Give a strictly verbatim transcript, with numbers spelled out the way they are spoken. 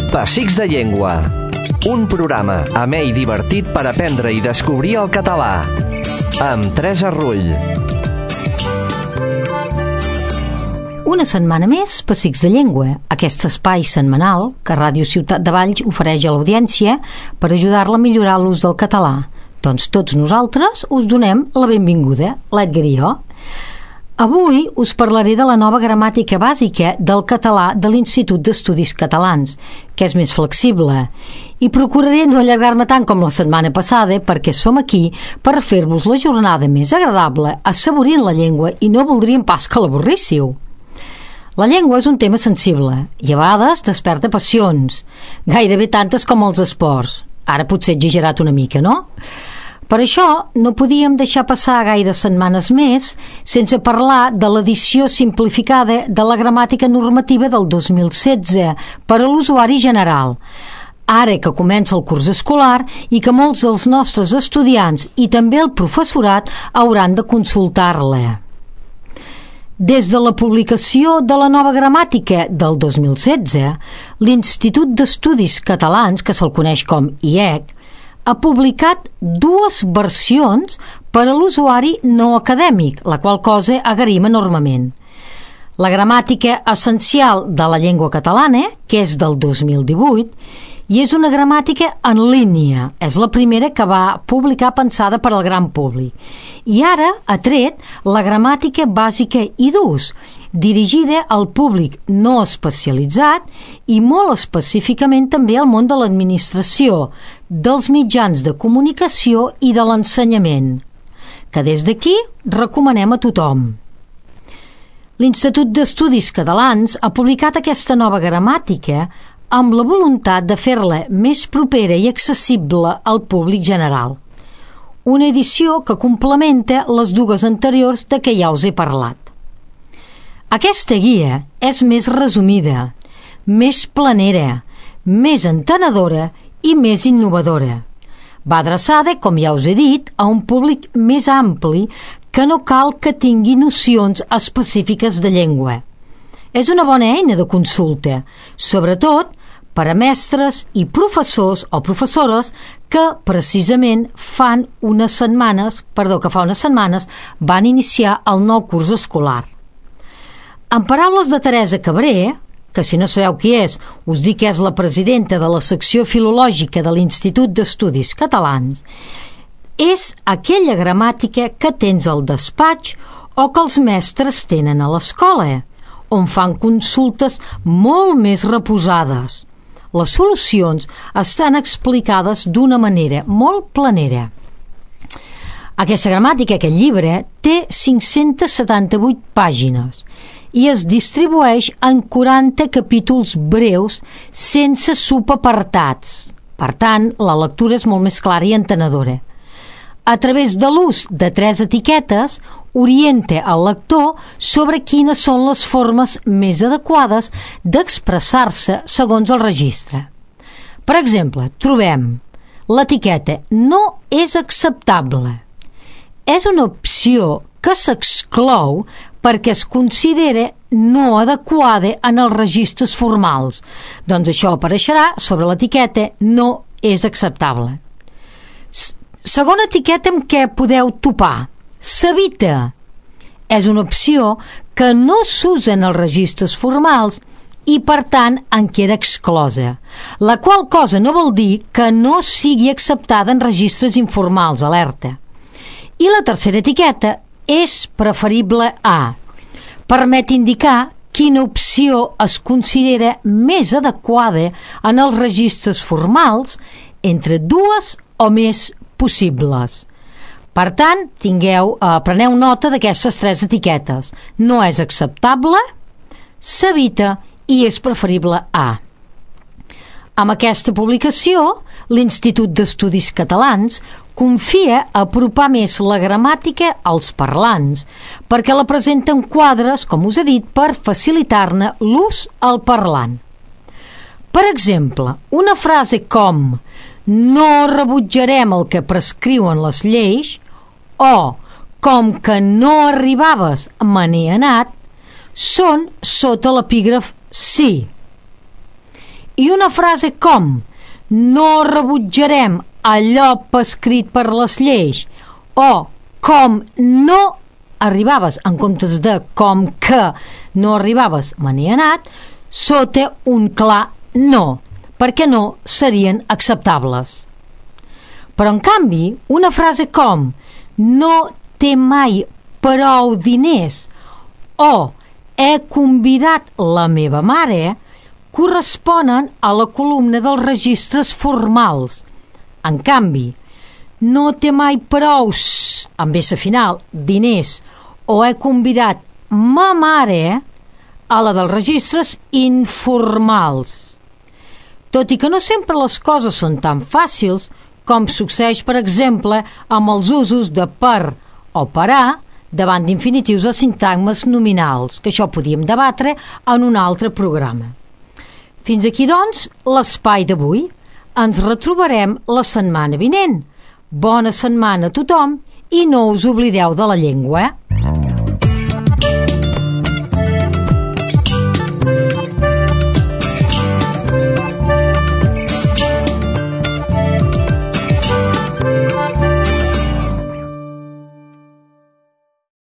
Pessics de Llengua, un programa amè i divertit per aprendre i descobrir el català, amb Teresa Rull. Una setmana més, Pessics de Llengua, aquest espai setmanal que Ràdio Ciutat de Valls ofereix a l'audiència per ajudar-la a millorar l'ús del català. Doncs tots nosaltres us donem la benvinguda, l'Edgar i jo. Avui us parlaré de la nova gramàtica bàsica del català de l'Institut d'Estudis Catalans, que és més flexible, i procuraré no allargar-me tant com la setmana passada perquè som aquí per fer-vos la jornada més agradable, assaborint la llengua, i no voldríem pas que l'avorríssiu. La llengua és un tema sensible i a vegades desperta passions, gairebé tantes com els esports. Ara potser he exagerat una mica, no? Per això no podíem deixar passar gaires setmanes més sense parlar de l'edició simplificada de la gramàtica normativa del dos mil setze per a l'usuari general, ara que comença el curs escolar i que molts dels nostres estudiants i també el professorat hauran de consultar-la. Des de la publicació de la nova gramàtica del dos mil setze, l'Institut d'Estudis Catalans, que se'l coneix com I E C, ha publicat dues versions per a l'usuari no acadèmic, la qual cosa agraïm enormement. La gramàtica essencial de la llengua catalana, que és del dos mil divuit, i és una gramàtica en línia. És la primera que va publicar pensada per al gran públic. I ara ha tret la gramàtica bàsica i d'ús, dirigida al públic no especialitzat i molt específicament també al món de l'administració, dels mitjans de comunicació i de l'ensenyament, que des d'aquí recomanem a tothom. L'Institut d'Estudis Catalans ha publicat aquesta nova gramàtica amb la voluntat de fer-la més propera i accessible al públic general. Una edició que complementa les dues anteriors de què ja us he parlat. Aquesta guia és més resumida, més planera, més entenedora i més innovadora. Va adreçada, com ja us he dit, a un públic més ampli que no cal que tingui nocions específiques de llengua. És una bona eina de consulta, sobretot per a mestres i professors o professores que precisament fan unes setmanes, perdó, que fa unes setmanes van iniciar el nou curs escolar. En paraules de Teresa Cabré, que si no sabeu qui és, us dic que és la presidenta de la secció filològica de l'Institut d'Estudis Catalans, és aquella gramàtica que tens al despatx o que els mestres tenen a l'escola, on fan consultes molt més reposades. Les solucions estan explicades d'una manera molt planera. Aquesta gramàtica, aquest llibre, té cinc-centes setanta-vuit pàgines i es distribueix en quaranta capítols breus sense subapartats. Per tant, la lectura és molt més clara i entenedora. A través de l'ús de tres etiquetes, orienta el lector sobre quines són les formes més adequades d'expressar-se segons el registre. Per exemple, trobem l'etiqueta «no és acceptable». És una opció que s'exclou perquè es considera no adequada en els registres formals. Doncs això apareixerà sobre l'etiqueta «no és acceptable». Segona etiqueta amb què podeu topar. S'evita. És una opció que no s'usa en els registres formals i, per tant, en queda exclosa, la qual cosa no vol dir que no sigui acceptada en registres informals, alerta. I la tercera etiqueta és preferible a. Permet indicar quina opció es considera més adequada en els registres formals entre dues o més possibles. Per tant, tingueu, eh, preneu nota d'aquestes tres etiquetes. No és acceptable, s'evita i és preferible a. Amb aquesta publicació, l'Institut d'Estudis Catalans confia a apropar més la gramàtica als parlants, perquè la presenta en quadres, com us he dit, per facilitar-ne l'ús al parlant. Per exemple, una frase com «no rebutjarem el que prescriuen les lleis» o «com que no arribaves me n'he anat» són sota l'epígraf «sí». I una frase com no rebutjarem allò prescrit per les lleis o com no arribaves en comptes de com que no arribaves me n'he anat, sota un clar no, perquè no serien acceptables. Però en canvi, una frase com no té mai prou diners o he convidat la meva mare corresponen a la columna dels registres formals. En canvi, no té mai prou, amb essa final, diners o he convidat ma mare a la dels registres informals. Tot i que no sempre les coses són tan fàcils com succeeix, per exemple, amb els usos de per o parar davant d'infinitius o sintagmes nominals, que això podíem debatre en un altre programa. Fins aquí, doncs, l'espai d'avui. Ens retrobarem la setmana vinent. Bona setmana a tothom i no us oblideu de la llengua.